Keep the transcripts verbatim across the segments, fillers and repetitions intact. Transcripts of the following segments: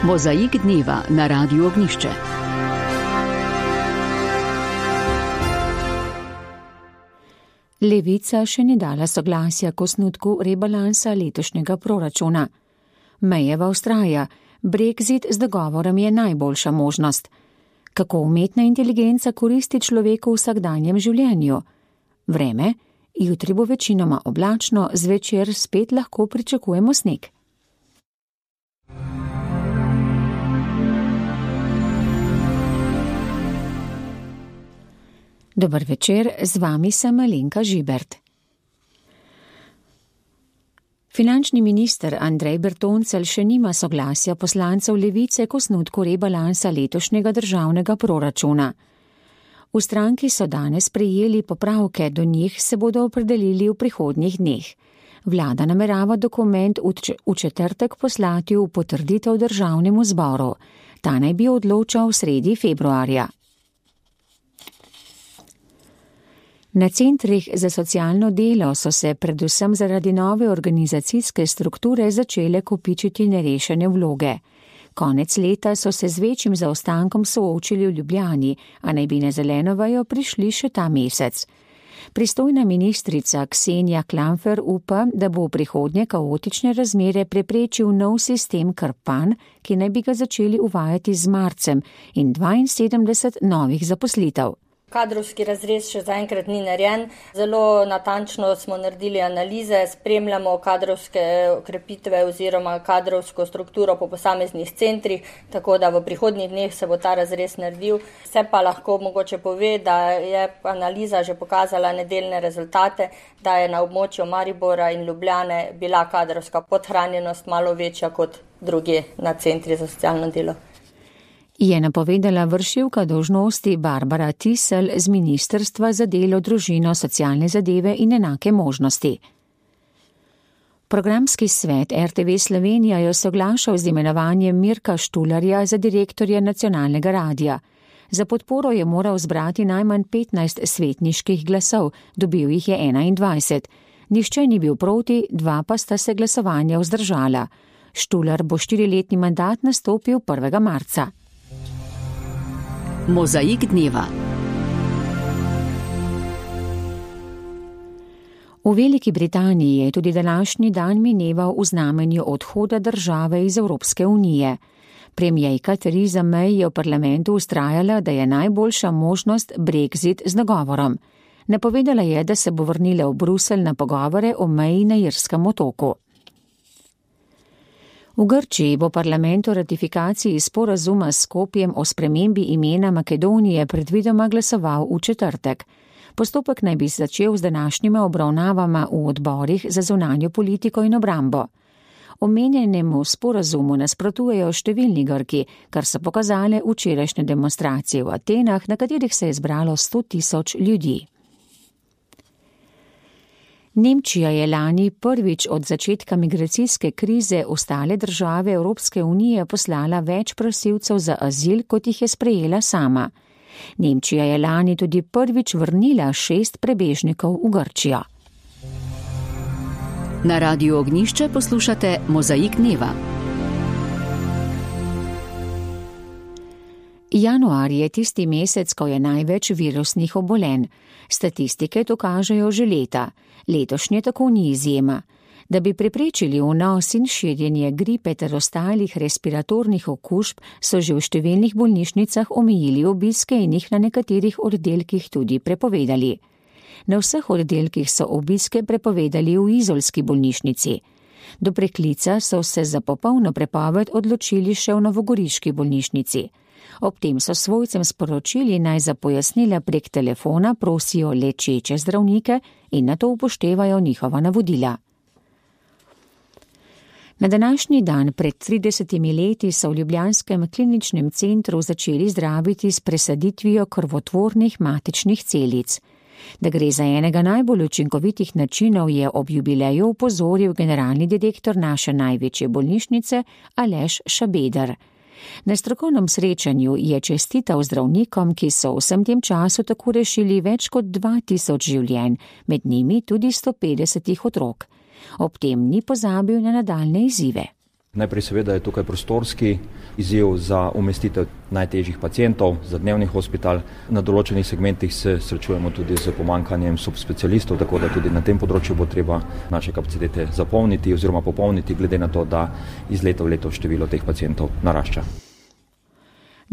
Mozaik dneva na Radiu Ognjišče. Levica še ni dala soglasja k osnutku rebalansa letošnjega proračuna. Mejeva vztraja, Brexit z dogovorom je najboljša možnost. Kako umetna inteligenca koristi človeku v vsakdanjem življenju? Vreme, jutri bo večinoma oblačno, zvečer spet lahko pričakujemo sneg. Dober večer, z vami sem Alenka Žibert. Finančni minister Andrej Bertoncelj še nima soglasja poslancev Levice k osnutku rebalansa letošnjega državnega proračuna. V stranki so danes prejeli popravke, do njih se bodo opredelili v prihodnjih dneh. Vlada namerava dokument v četrtek poslati v potrditev državnemu zboru. Ta naj bi odločal v sredi februarja. Na centrih za socialno delo so se predvsem zaradi nove organizacijske strukture začele kopičiti nerešene vloge. Konec leta so se z večjim zaostankom soočili v Ljubljani, a naj bi na zeleno vejo prišli še ta mesec. Pristojna ministrica Ksenija Klamfer upa, da bo v prihodnje kaotične razmere preprečil nov sistem Krpan, ki naj bi ga začeli uvajati z marcem in dvainsedemdeset novih zaposlitev. Kadrovski razrez še zaenkrat ni narejen. Zelo natančno smo naredili analize, spremljamo kadrovske okrepitve oziroma kadrovsko strukturo po posameznih centrih, tako da v prihodnjih dneh se bo ta razrez naredil. Se pa lahko mogoče pove, da je analiza že pokazala nedeljne rezultate, da je na območju Maribora in Ljubljane bila kadrovska podhranjenost malo večja kot druge na centri za socialno delo. Je napovedala vršilka dolžnosti Barbara Tisel z Ministrstva za delo, družino, socialne zadeve in enake možnosti. Programski svet R T V Slovenija je soglašal z imenovanjem Mirka Štularja za direktorja nacionalnega radia. Za podporo je moral zbrati najmanj petnajst svetniških glasov, dobil jih je enaindvajset. Nihče ni bil proti, dva pa sta se glasovanja vzdržala. Štular bo štiriletni mandat nastopil prvega marca. Mozaik dneva. V Veliki Britaniji je tudi današnji dan mineval v znamenju odhoda države iz Evropske unije. Premierka Theresa May je v parlamentu vztrajala, da je najboljša možnost Brexit z dogovorom. Napovedala je, da se bo vrnila v Bruselj na pogovore o meji na Irskem otoku. V Grčiji bo parlament o ratifikaciji sporazuma s Skopjem o spremembi imena Makedonije predvidoma glasoval v četrtek. Postopek naj bi začel z današnjima obravnavama v odborih za zunanjo politiko in obrambo. Omenjenemu sporazumu nasprotujejo številni Grki, kar so pokazale včerajšnje demonstracije v Atenah, na katerih se je zbralo sto tisoč ljudi. Nemčija je lani prvič od začetka migracijske krize ostale države Evropske unije poslala več prosilcev za azil, kot jih je sprejela sama. Nemčija je lani tudi prvič vrnila šest prebežnikov v Grčijo. Na Radiu Ognjišče poslušate Mozaik dneva. Januar je tisti mesec, ko je največ virusnih obolenj. Statistike to kažejo že leta. Letošnje tako ni izjema. Da bi preprečili vnos in širjenje gripe ter ostalih respiratornih okužb, so že v številnih bolnišnicah omejili obiske in jih na nekaterih oddelkih tudi prepovedali. Na vseh oddelkih so obiske prepovedali v izolski bolnišnici. Do preklica so se za popolno prepoved odločili še v novogoriški bolnišnici. Ob tem so svojcem sporočili, naj za pojasnila prek telefona prosijo lečeče zdravnike in na to upoštevajo njihova navodila. Na današnji dan pred tridesetimi leti so v ljubljanskem kliničnem centru začeli zdraviti s presaditvijo krvotvornih matičnih celic. Da gre za enega najbolj učinkovitih načinov, je ob jubileju opozoril generalni direktor naše največje bolnišnice Aleš Šabeder. Na strokovnem srečanju je čestital zdravnikom, ki so v vsem tem času tako rešili več kot dva tisoč življenj, med njimi tudi sto petdeset otrok. Ob tem ni pozabil na nadaljne izzive. Najprej seveda je tukaj prostorski izziv za umestitev najtežjih pacientov za dnevni hospital. Na določenih segmentih se srečujemo tudi z pomanjkanjem subspecialistov, tako da tudi na tem področju bo treba naše kapacitete zapolniti oziroma popolniti, glede na to, da iz leta v leto število teh pacientov narašča.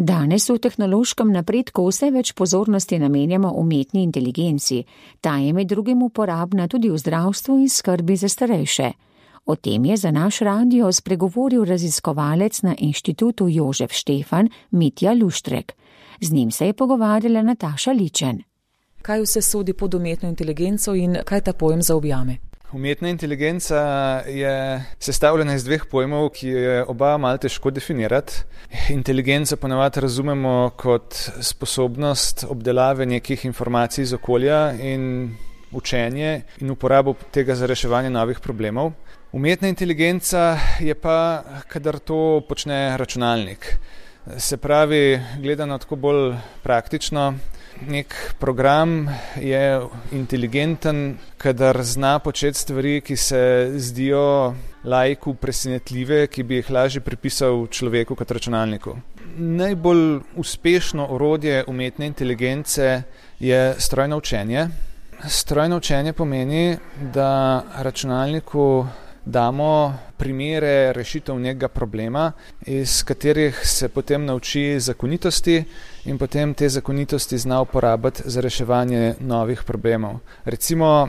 Danes v tehnološkem napredku vse več pozornosti namenjamo umetni inteligenci. Ta je med drugim uporabna tudi v zdravstvu in skrbi za starejše. O tem je za naš radio spregovoril raziskovalec na inštitutu Jožef Štefan Mitja Luštrek. Z njim se je pogovarjala Nataša Ličen. Kaj vse sodi pod umetno inteligenco in kaj ta pojem zaobjame? Umetna inteligenca je sestavljena iz dveh pojmov, ki je oba malo težko definirati. Inteligenco ponavadi razumemo kot sposobnost obdelave nekih informacij iz okolja in učenje in uporabo tega za reševanje novih problemov. Umetna inteligenca je pa, kadar to počne računalnik. Se pravi, gledano tako bolj praktično, nek program je inteligenten, kadar zna početi stvari, ki se zdijo laiku presenetljive, ki bi jih lažje pripisal človeku kot računalniku. Najbolj uspešno orodje umetne inteligence je strojno učenje. Strojno učenje pomeni, da računalniku damo primere rešitev nekega problema, iz katerih se potem nauči zakonitosti in potem te zakonitosti zna uporabiti za reševanje novih problemov. Recimo,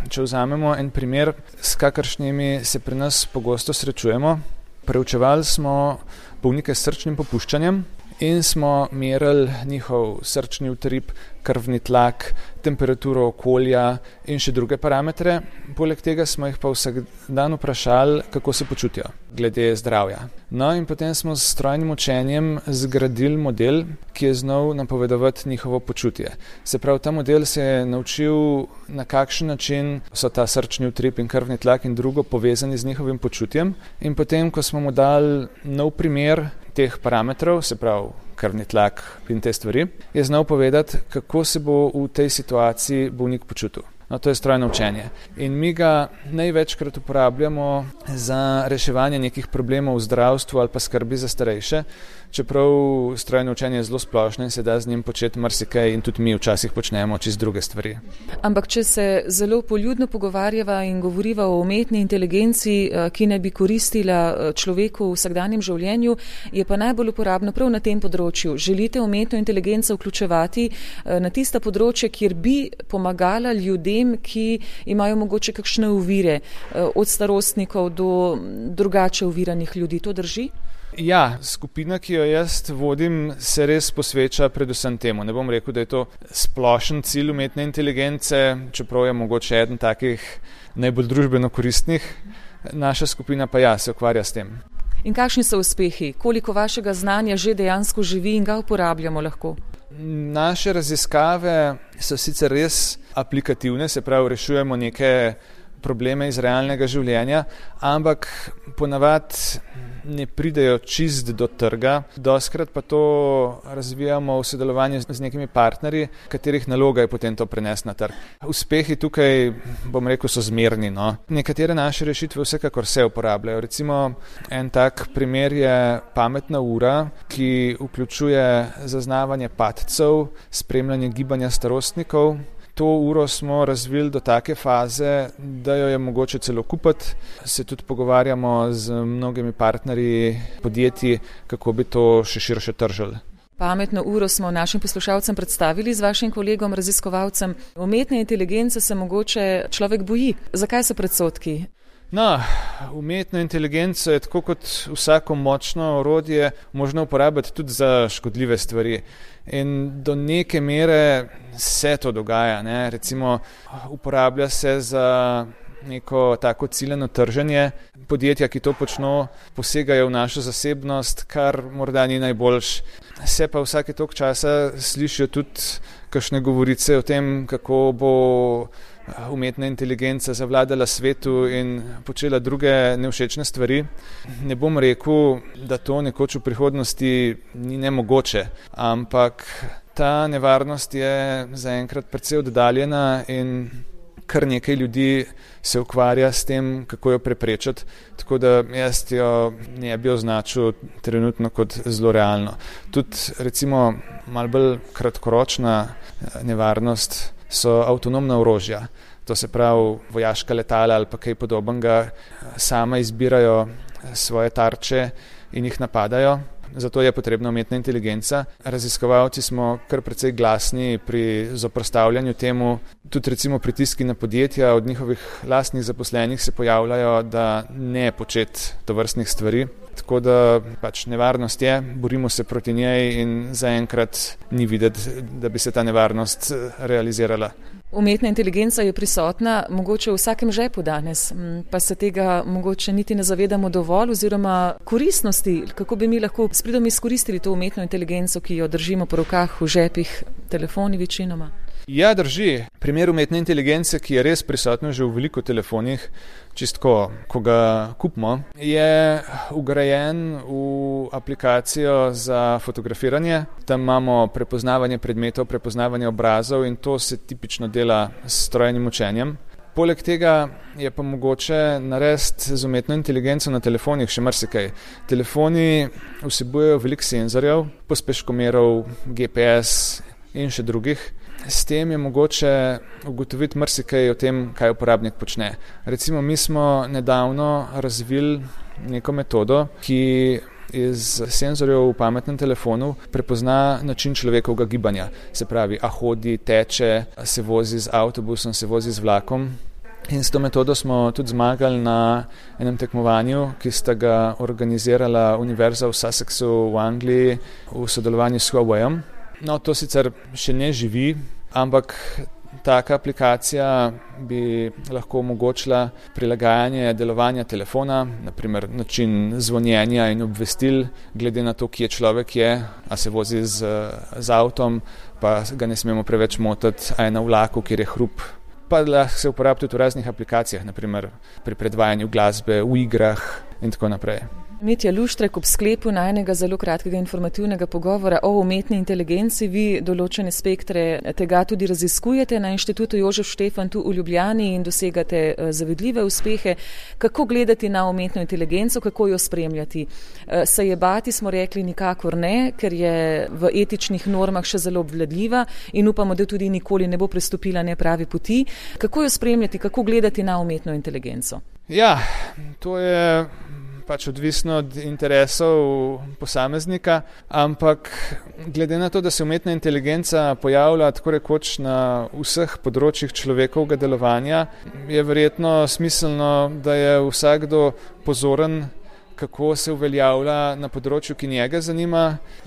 če vzamemo en primer, s kakršnimi se pri nas pogosto srečujemo, preučevali smo bolnike s srčnim popuščanjem in smo merili njihov srčni utrip, krvni tlak, temperaturo okolja in še druge parametre. Poleg tega smo jih pa vsak dan vprašali, kako se počutijo glede zdravja. No in potem smo s strojnim učenjem zgradili model, ki je znal napovedovati njihovo počutje. Se pravi, ta model se je naučil, na kakšen način so ta srčni utrip in krvni tlak in drugo povezani z njihovim počutjem. In potem, ko smo mu dali nov primer teh parametrov, se pravi krvni tlak in te stvari, je znal povedati, kako se bo v tej situaciji bolnik počutil. No, to je strojno učenje. In mi ga največkrat uporabljamo za reševanje nekih problemov v zdravstvu ali pa skrbi za starejše, čeprav strojno učenje je zelo splošno in se da z njim početi marsikaj in tudi mi včasih počnemo čisto druge stvari. Ampak če se zelo poljudno pogovarjava in govoriva o umetni inteligenci, ki ne bi koristila človeku v vsakdanjem življenju, je pa najbolj uporabno prav na tem področju. Želite umetno inteligenco vključevati na tista področja, kjer bi pomagala ljudem, ki imajo mogoče kakšne ovire, od starostnikov do drugače oviranih ljudi. To drži? Ja, skupina, ki jo jaz vodim, se res posveča predvsem temu. Ne bom rekel, da je to splošen cilj umetne inteligence, čeprav je mogoče eden takih najbolj družbeno koristnih. Naša skupina pa ja, se ukvarja s tem. In kakšni so uspehi? Koliko vašega znanja že dejansko živi in ga uporabljamo lahko? Naše raziskave so sicer res aplikativne, se pravi, rešujemo neke probleme iz realnega življenja, ampak ponavadi ne pridejo čist do trga. Dostikrat pa to razvijamo v sodelovanju z nekimi partnerji, katerih naloga je potem to prenesti na trg. Uspehi tukaj, bom rekel, so zmerni. No. Nekatere naše rešitve vsekakor se uporabljajo. Recimo en tak primer je pametna ura, ki vključuje zaznavanje padcev, spremljanje gibanja starostnikov. To uro smo razvili do take faze, da jo je mogoče celo kupiti. Se tudi pogovarjamo z mnogimi partnerji, podjetji, kako bi to še širše tržili. Pametno uro smo našim poslušalcem predstavili z vašim kolegom, raziskovalcem. Umetne inteligence se mogoče človek boji. Zakaj so predsodki? No, umetno inteligenco je tako kot vsako močno orodje možno uporabiti tudi za škodljive stvari. In do neke mere se to dogaja. Ne? Recimo uporablja se za neko tako ciljeno trženje. Podjetja, ki to počno, posegajo v našo zasebnost, kar morda ni najboljš. Se pa vsake toliko časa slišijo tudi kakšne govorice o tem, kako bo umetna inteligenca zavladala svetu in počela druge nevšečne stvari. Ne bom rekel, da to nekoč v prihodnosti ni nemogoče, ampak ta nevarnost je zaenkrat precej oddaljena in kar nekaj ljudi se ukvarja s tem, kako jo preprečiti, tako da jaz jo ne bi označil trenutno kot zelo realno. Tudi recimo malo bolj kratkoročna nevarnost so avtonomna orožja. To se pravi vojaška letala ali pa kaj podobnega sama izbirajo svoje tarče in jih napadajo. Zato je potrebna umetna inteligenca. Raziskovalci smo kar precej glasni pri zoperstavljanju temu. Tudi recimo pritiski na podjetja od njihovih lastnih zaposlenih se pojavljajo, da ne početi tovrstnih stvari. Tako da pač nevarnost je, borimo se proti njej in zaenkrat ni videti, da bi se ta nevarnost realizirala. Umetna inteligenca je prisotna mogoče v vsakem žepu danes, pa se tega mogoče niti ne zavedamo dovolj oziroma koristnosti, kako bi mi lahko s pridom izkoristili to umetno inteligenco, ki jo držimo po rokah, v žepih, telefoni večinoma. Ja, drži. Primer umetne inteligence, ki je res prisotno že v veliko telefonih, čistko, ko ga kupimo, je ugrajen v aplikacijo za fotografiranje. Tam imamo prepoznavanje predmetov, prepoznavanje obrazov in to se tipično dela s strojnim učenjem. Poleg tega je pa mogoče narediti z umetno inteligenco na telefonih še marsikaj. Telefoni vsebujejo veliko senzorjev, pospeškomerov, G P S in še drugih. S tem je mogoče ugotoviti marsikaj o tem, kaj uporabnik počne. Recimo, mi smo nedavno razvili neko metodo, ki iz senzorjev v pametnem telefonu prepozna način človekovega gibanja. Se pravi, a hodi, teče, se vozi z avtobusom, se vozi z vlakom. In s to metodo smo tudi zmagali na enem tekmovanju, ki sta ga organizirala Univerza v Sussexu v Angliji v sodelovanju s Huaweiom. No, to sicer še ne živi, ampak taka aplikacija bi lahko omogočila prilagajanje delovanja telefona, naprimer način zvonjenja in obvestil, glede na to, kje človek je, a se vozi z, z avtom, pa ga ne smemo preveč motiti, a je na vlaku, kjer je hrup. Pa lahko se uporablja tudi v raznih aplikacijah, naprimer pri predvajanju glasbe, v igrah in tako naprej. Mitja Luštrek, ob sklepu najnega zelo kratkega informativnega pogovora o umetni inteligenci, vi določene spektre tega tudi raziskujete na Inštitutu Jožef Štefan tu v Ljubljani in dosegate zavidljive uspehe. Kako gledati na umetno inteligenco, kako jo spremljati? Se je bati, smo rekli, nikakor ne, ker je v etičnih normah še zelo obvladljiva in upamo, da tudi nikoli ne bo prestopila nepravi poti. Kako jo spremljati, kako gledati na umetno inteligenco? Ja, to je pač odvisno od interesov posameznika, ampak glede na to, da se umetna inteligenca pojavlja tako rekoč na vseh področjih človekovega delovanja, je verjetno smiselno, da je vsakdo pozoren, kako se uveljavlja na področju, ki njega zanima.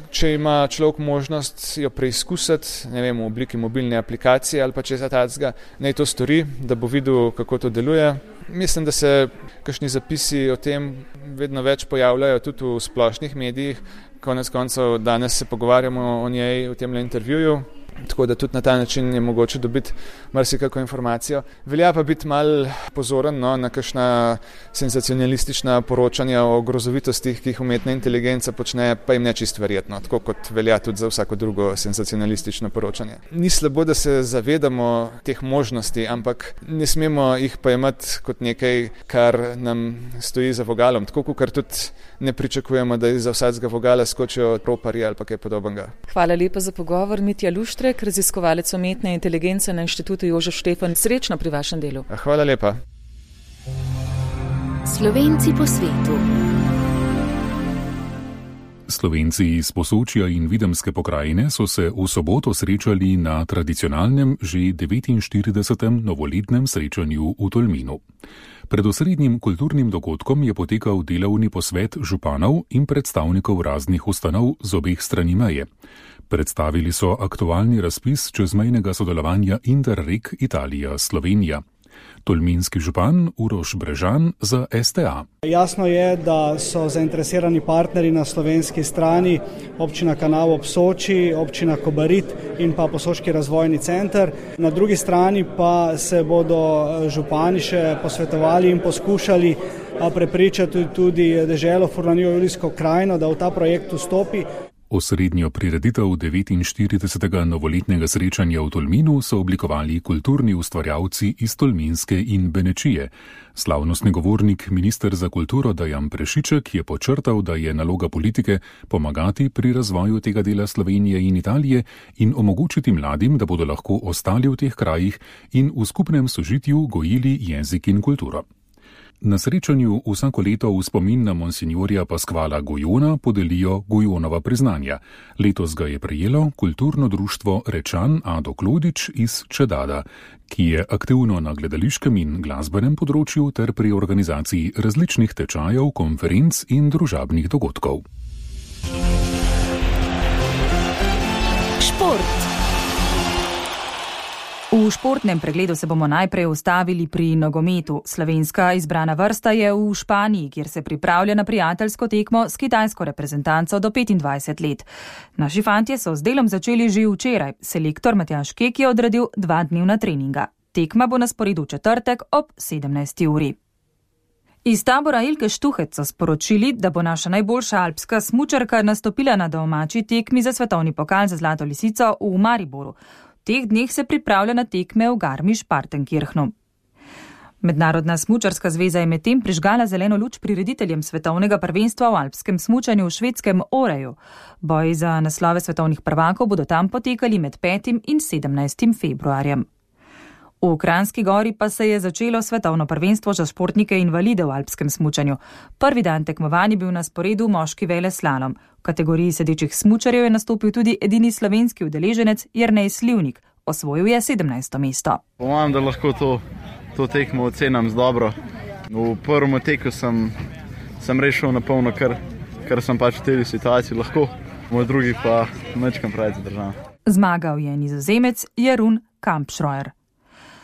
Če ima človek možnost jo preizkusiti, ne vem, v obliki mobilne aplikacije ali pa česa takega, naj to stori, da bo videl, kako to deluje. Mislim, da se kakšni zapisi o tem vedno več pojavljajo tudi v splošnih medijih. Konec koncev danes se pogovarjamo o njej v temle intervjuju, tako da tudi na ta način je mogoče dobiti marsikako informacijo. Velja pa biti malo pozoren no, na kakšna senzacionalistična poročanja o grozovitostih, ki jih umetna inteligenca počne, pa jim ne čisto verjetno, tako kot velja tudi za vsako drugo senzacionalistično poročanje. Ni slabo, da se zavedamo teh možnosti, ampak ne smemo jih pa imeti kot nekaj, kar nam stoji za vogalom, tako kot tudi ne pričakujemo, da iz vsakega vogala skočijo roparji ali pa kaj podobnega. Hvala lepa za pogovor, Mitja Luštrek, raziskovalec umetne inteligence na Inštitutu Jožef Štefan. Srečno pri vašem delu. Hvala lepa. Slovenci po svetu. Slovenci iz Posočja in Videmske pokrajine so se v soboto srečali na tradicionalnem že devetinštiridesetem novoletnem srečanju v Tolminu. Pred osrednjim kulturnim dogodkom je potekal delovni posvet županov in predstavnikov raznih ustanov z obeh strani meje. Predstavili so aktualni razpis čezmejnega sodelovanja Interreg Italija-Slovenija. Tolminski župan Uroš Brežan za S T A. Jasno je, da so zainteresirani partnerji na slovenski strani občina Kanal ob Soči, občina Kobarid in pa Posočki razvojni center. Na drugi strani pa se bodo župani še posvetovali in poskušali prepričati tudi deželo Furlanijo Julijsko krajino, da v ta projekt vstopi. Osrednjo prireditev devetinštiridesetega novoletnega srečanja v Tolminu so oblikovali kulturni ustvarjalci iz Tolminske in Benečije. Slavnostni govornik, minister za kulturo Dejan Prešiček, je počrtal, da je naloga politike pomagati pri razvoju tega dela Slovenije in Italije in omogočiti mladim, da bodo lahko ostali v teh krajih in v skupnem sožitju gojili jezik in kulturo. Na srečanju vsako leto v spomin na monsinjorja Paskvala Gojona podelijo Gojonova priznanja. Letos ga je prejelo kulturno društvo Rečan Ado Klodič iz Čedada, ki je aktivno na gledališkem in glasbenem področju ter pri organizaciji različnih tečajev, konferenc in družabnih dogodkov. Šport. V športnem pregledu se bomo najprej ustavili pri nogometu. Slovenska izbrana vrsta je v Španiji, kjer se pripravlja na prijateljsko tekmo s kitajsko reprezentanco do petindvajset let. Naši fantje so z delom začeli že včeraj. Selektor Matjaž Kek je odredil dva dnevna treninga. Tekma bo na sporedu v četrtek ob sedemnajsti uri. Iz tabora Ilke Štuhec so sporočili, da bo naša najboljša alpska smučarka nastopila na domači tekmi za svetovni pokal za Zlato lisico v Mariboru. V teh dneh se pripravlja na tekme v Garmisch-Partenkirchnu. Mednarodna smučarska zveza je medtem prižgala zeleno luč prirediteljem svetovnega prvenstva v alpskem smučanju v švedskem Oreju. Boji za naslove svetovnih prvakov bodo tam potekali med petim in sedemnajstim februarjem. V Kranjski Gori pa se je začelo svetovno prvenstvo za športnike invalide v alpskem smučanju. Prvi dan tekmovanja bil na sporedu moški veleslalom. V kategoriji sedečih smučarjev je nastopil tudi edini slovenski udeleženec Jernej Slivnik. Osvojil je sedemnajsto mesto. Pomam, da lahko to, to tekmo ocenam z dobro. V prvem teku sem, sem rešil na polno, kar, kar sem pač v tej situaciji lahko. V drugi pa mečkam pravi zadržan. Zmagal je Nizozemec Jeroen Kampschreuer.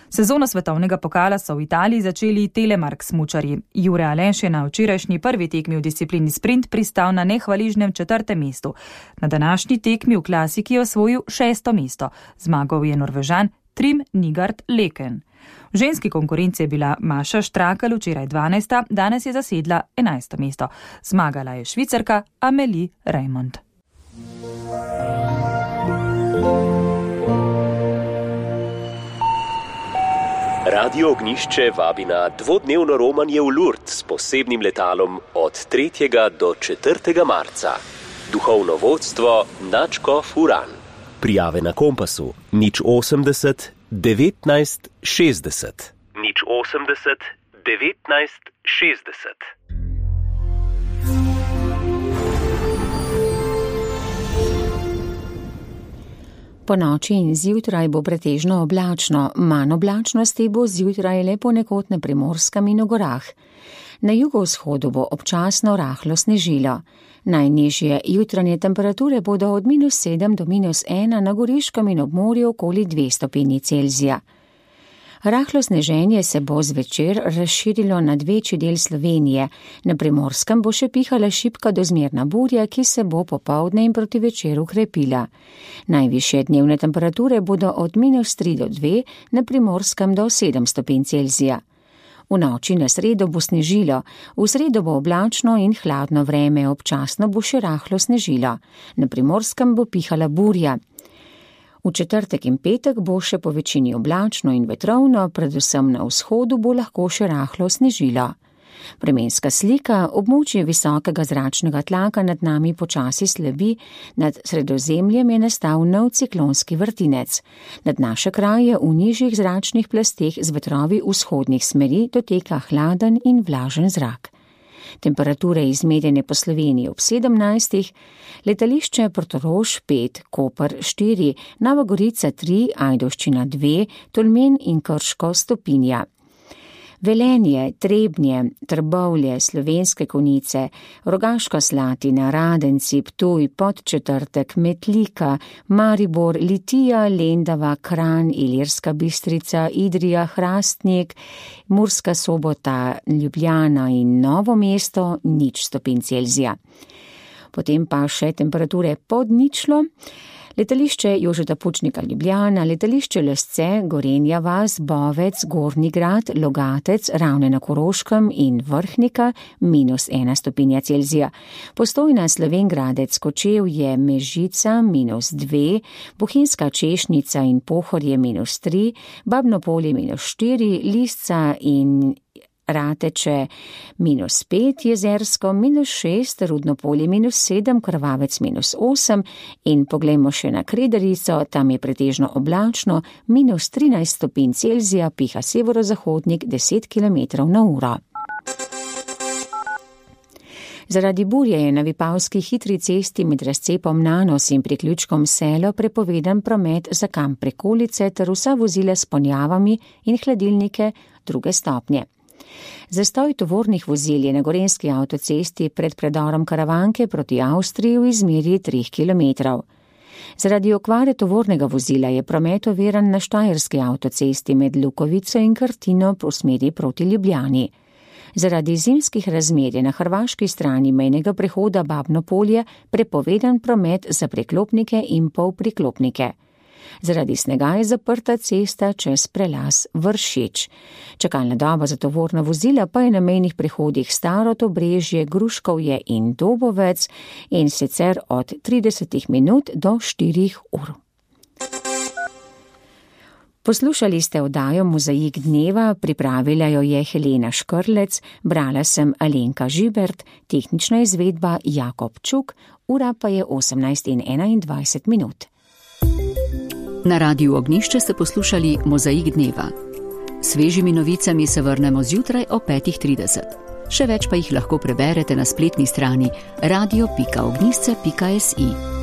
Sezono svetovnega pokala so v Italiji začeli telemark smučarji. Jure Aleš je na včerajšnji prvi tekmi v disciplini sprint pristal na nehvaležnem četrtem mestu. Na današnji tekmi v klasiki je osvojil šesto mesto. Zmagal je Norvežan Trym Nygaard Leken. V ženski konkurenci je bila Maša Štrakl včeraj dvanajsta, danes je zasedla enajsto mesto. Zmagala je Švicarka Amélie Reymond. Radio Ognjišče vabi na dvodnevno romanje v Lourdes s posebnim letalom od tretjega do četrtega marca. Duhovno vodstvo Načko Furan. Prijave na Kompasu nič osemdeset devetnajst šestdeset. nič osemdeset devetnajst šestdeset. Po noči in zjutraj bo pretežno oblačno, manj oblačnosti bo zjutraj le ponekod na Primorskem in v gorah. Na jugovzhodu bo občasno rahlo snežilo. Najnižje jutranje temperature bodo od minus sedem do minus ena, na Goriškem in ob morju okoli dve stopinji Celzija. Rahlo sneženje se bo zvečer razširilo nad večji del Slovenije. Na Primorskem bo še pihala šibka do zmerna burja, ki se bo popoldne in proti večeru krepila. Najvišje dnevne temperature bodo od minus tri do dve, na Primorskem do sedem stopinj Celzija. V noči na sredo bo snežilo, v sredo bo oblačno in hladno vreme, občasno bo še rahlo snežilo. Na Primorskem bo pihala burja. V četrtek in petek bo še po večini oblačno in vetrovno, predvsem na vzhodu bo lahko še rahlo snežilo. Vremenska slika, območje visokega zračnega tlaka nad nami počasi slabi, nad Sredozemljem je nastal nov ciklonski vrtinec. Nad naše kraje v nižjih zračnih plasteh z vetrovi vzhodnih smeri doteka hladen in vlažen zrak. Temperature izmerjene po Sloveniji ob sedemnajstih, letališče Portorož pet, Koper štiri, Nova Gorica tri, Ajdovščina dve, Tolmin in Krško stopinja. Velenje, Trebnje, Trbovlje, Slovenske Konjice, Rogaška Slatina, Radenci, Ptuj, Podčetrtek, Metlika, Maribor, Litija, Lendava, Kranj, Ilirska Bistrica, Idrija, Hrastnik, Murska Sobota, Ljubljana in Novo mesto nič stopinj Celzija. Potem pa še temperature pod ničlo. Letališče Jožeta Pučnika Ljubljana, letališče Lesce, Gorenja vas, Bovec, Gornji Grad, Logatec, Ravne na Koroškem in Vrhnika minus ena stopinja Celzija. Postojna, Slovengradec, Kočevje, Mežica minus dve, Bohinjska Češnica in Pohorje minus tri, Babno Polje minus štiri, Lisca in Rateče minus pet, Jezersko minus šest, Rudno Polje minus sedem, Krvavec minus osem in poglejmo še na Kredarico, tam je pretežno oblačno, minus trinajst stopinj Celzija, piha severozahodnik deset kilometrov na uro. Zaradi burje je na Vipavski hitri cesti med razcepom Nanos in priključkom Selo prepovedan promet za kamp Prekolice ter vsa vozila s ponjavami in hladilnike druge stopnje. Zastoj tovornih vozil je na gorenjski avtocesti pred predorom Karavanke proti Avstriji v izmeri treh kilometrov. Zaradi okvare tovornega vozila je promet oviran na štajerski avtocesti med Lukovico in Krtino po smeri proti Ljubljani. Zaradi zimskih razmer je na hrvaški strani mejnega prehoda Babno Polje prepovedan promet za preklopnike in polpriklopnike. Zaradi snega je zaprta cesta čez prelaz Vršič. Čakalna doba za tovorna vozila pa je na mejnih prehodih Starod, Obrežje, Gruškovje in Dobovec in sicer od trideset minut do štirih ur. Poslušali ste oddajo Mozaik dneva, pripravila jo je Helena Škrlec, brala sem Alenka Žibert, tehnična izvedba Jakob Čuk, ura pa je osemnajst in enaindvajset minut. Na Radiu Ognjišče ste poslušali Mozaik dneva. Svežimi novicami se vrnemo zjutraj o petih trideset. Še več pa jih lahko preberete na spletni strani radio pika ognjišče pika si.